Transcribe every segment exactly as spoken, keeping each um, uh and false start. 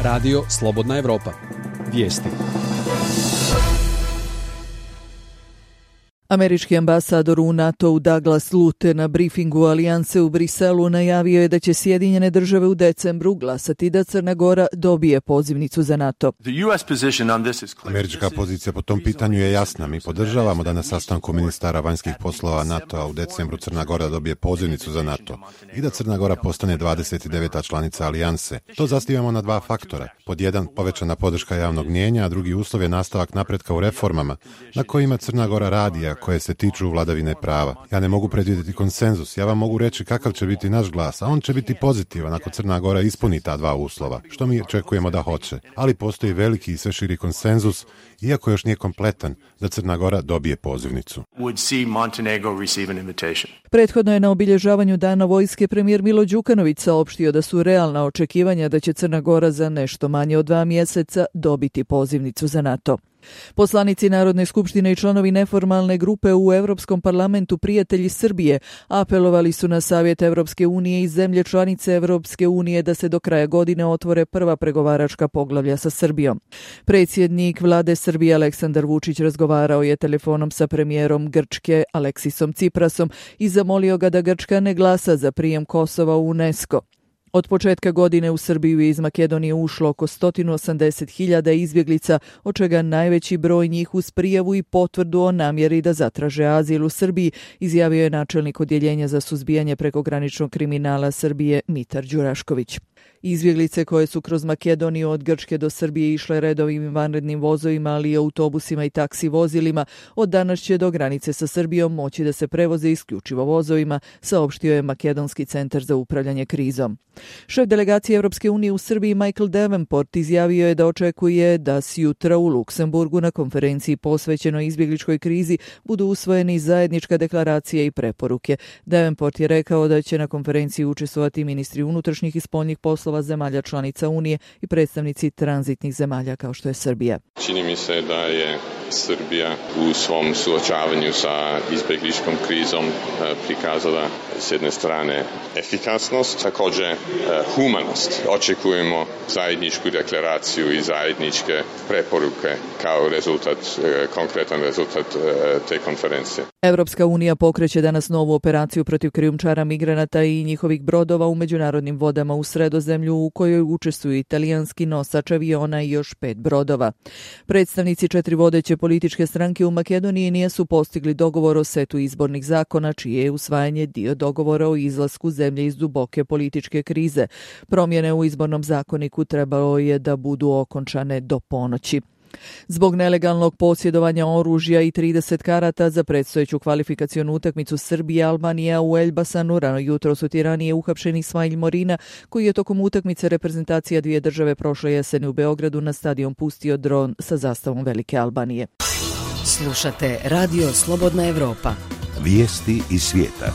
Radio Slobodna Evropa. Vijesti. Američki ambasador u NATO-u Douglas Lute na brifingu Alijanse u Briselu najavio je da će Sjedinjene države u decembru glasati da Crna Gora dobije pozivnicu za NATO. Američka pozicija po tom pitanju je jasna. Mi podržavamo da na sastanku ministara vanjskih poslova NATO-a u decembru Crna Gora dobije pozivnicu za NATO i da Crna Gora postane dvadeset deveta članica Alijanse. To zasnivamo na dva faktora. Pod jedan, povećana podrška javnog mnijenja, a drugi uslov je nastavak napretka u reformama na kojima Crna Gora radi, a koje se tiču vladavine prava. Ja ne mogu predvidjeti konsenzus, ja vam mogu reći kakav će biti naš glas, a on će biti pozitivan ako Crna Gora ispuni ta dva uslova, što mi očekujemo da hoće. Ali postoji veliki i sve širi konsenzus, iako još nije kompletan, da Crna Gora dobije pozivnicu. Prethodno je na obilježavanju Dana vojske premijer Milo Đukanović saopštio da su realna očekivanja da će Crna Gora za nešto manje od dva mjeseca dobiti pozivnicu za NATO. Poslanici Narodne skupštine i članovi neformalne grupe u Europskom parlamentu Prijatelji Srbije apelovali su na Savjet Evropske unije i zemlje članice Evropske unije da se do kraja godine otvore prva pregovaračka poglavlja sa Srbijom. Predsjednik vlade Srbije Aleksandar Vučić razgovarao je telefonom sa premijerom Grčke Aleksisom Ciprasom i zamolio ga da Grčka ne glasa za prijem Kosova u UNESCO. Od početka godine u Srbiju iz Makedonije ušlo oko sto osamdeset hiljada izbjeglica, od čega najveći broj njih uz prijavu i potvrdu o namjeri da zatraže azil u Srbiji, izjavio je načelnik odjeljenja za suzbijanje prekograničnog kriminala Srbije Mitar Đurašković. Izbjeglice koje su kroz Makedoniju od Grčke do Srbije išle redovim i vanrednim vozovima, ali i autobusima i taksi vozilima, od danas će do granice sa Srbijom moći da se prevoze isključivo vozovima, saopštio je Makedonski centar za upravljanje krizom. Šef delegacije Evropske unije u Srbiji Michael Davenport izjavio je da očekuje da sjutra u Luksemburgu na konferenciji posvećenoj izbjegličkoj krizi budu usvojeni zajednička deklaracija i preporuke. Davenport je rekao da će na konferenciji učestvovati ministri unutrašnjih i spoljnih poslova zemalja članica Unije i predstavnici tranzitnih zemalja kao što je Srbija. Čini mi se da je Srbija u svom suočavanju sa izbjegličkom krizom prikazala s jedne strane efikasnost, također humanost. Očekujemo zajedničku deklaraciju i zajedničke preporuke kao rezultat, konkretan rezultat te konferencije. Evropska unija pokreće danas novu operaciju protiv krijumčara migranata i njihovih brodova u međunarodnim vodama u Sredozemlju, u kojoj učestvuju italijanski nosač aviona i još pet brodova. Predstavnici četiri vodeće političke stranke u Makedoniji nisu postigli dogovor o setu izbornih zakona, čije je usvajanje dio dogovora o izlasku zemlje iz duboke političke krize. Promjene u izbornom zakoniku trebalo je da budu okončane do ponoći. Zbog nelegalnog posjedovanja oružja i trideset karata za predstojeću kvalifikacionu utakmicu Srbije-Albanija u Elbasanu rano jutros u Tirani je uhapšen Ismail Morina, koji je tokom utakmice reprezentacija dvije države prošle jeseni u Beogradu na stadion pustio dron sa zastavom Velike Albanije. Slušate Radio Slobodna Evropa. Vijesti iz svijeta.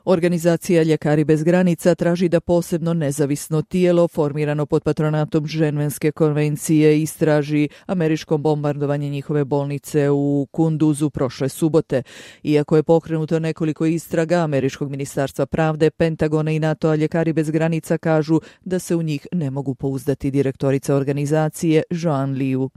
Organizacija Ljekari bez granica traži da posebno nezavisno tijelo formirano pod patronatom Ženevske konvencije istraži američko bombardovanje njihove bolnice u Kunduzu prošle subote. Iako je pokrenuto nekoliko istraga američkog ministarstva pravde, Pentagona i NATO-a, Ljekari bez granica kažu da se u njih ne mogu pouzdati. Direktorica organizacije Joan Liu.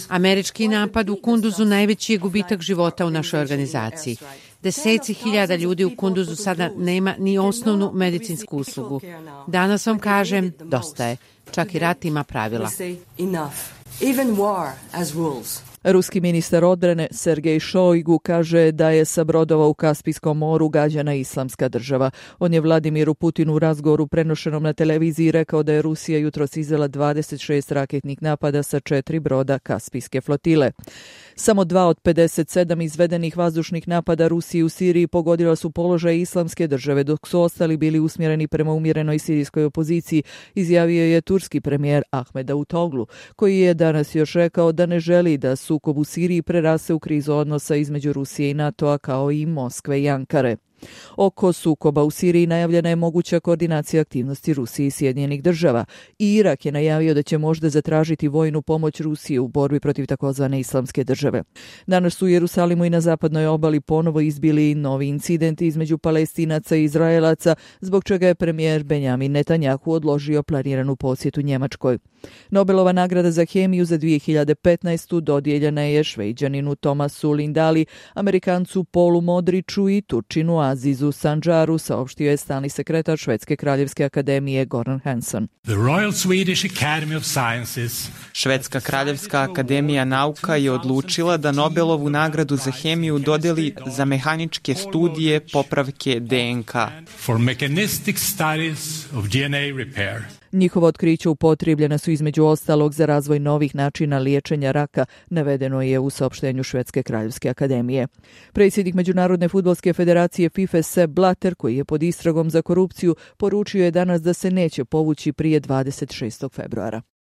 Američki napad u Kunduzu najveći je gubitak života u našoj organizaciji. Deseci hiljada ljudi u Kunduzu sada nema ni osnovnu medicinsku uslugu. Danas vam kažem, dosta je. Čak i rat ima pravila. Ruski ministar odbrane Sergej Šojgu kaže da je sa brodova u Kaspijskom moru gađana Islamska država. On je Vladimiru Putinu u razgovoru prenošenom na televiziji rekao da je Rusija jutros izvela dvadeset šest raketnih napada sa četiri broda Kaspijske flotile. Samo dva od pedeset sedam izvedenih vazdušnih napada Rusije u Siriji pogodila su položaj Islamske države, dok su ostali bili usmjereni prema umjerenoj sirijskoj opoziciji, izjavio je turski premijer Ahmed Davutoglu, koji je danas još rekao da ne želi da sukob u Siriji prerase u krizu odnosa između Rusije i NATO-a kao i Moskve i Ankare. Oko sukoba u Siriji najavljena je moguća koordinacija aktivnosti Rusije i Sjedinjenih država. I Irak je najavio da će možda zatražiti vojnu pomoć Rusije u borbi protiv takozvane islamske države. Danas su u Jerusalimu i na zapadnoj obali ponovo izbili novi incidenti između Palestinaca i Izraelaca, zbog čega je premijer Benjamin Netanjahu odložio planiranu posjetu Njemačkoj. Nobelova nagrada za hemiju za dvije hiljade petnaestu dodijeljena je Šveđaninu Tomasu Lindali, Amerikancu Paulu Modriću i Turčinu Azizu Sanđaru, saopštio je stalni sekretar Švedske kraljevske akademije Goran Hansson. Švedska kraljevska akademija nauka je odlučila da Nobelovu nagradu za hemiju dodeli za mehaničke studije popravke D N K. Njihova otkrića upotrijebljena su između ostalog za razvoj novih načina liječenja raka, navedeno je u saopštenju Švedske kraljevske akademije. Predsjednik Međunarodne fudbalske federacije FIFA Sepp Blatter, koji je pod istragom za korupciju, poručio je danas da se neće povući prije dvadeset šestog februara.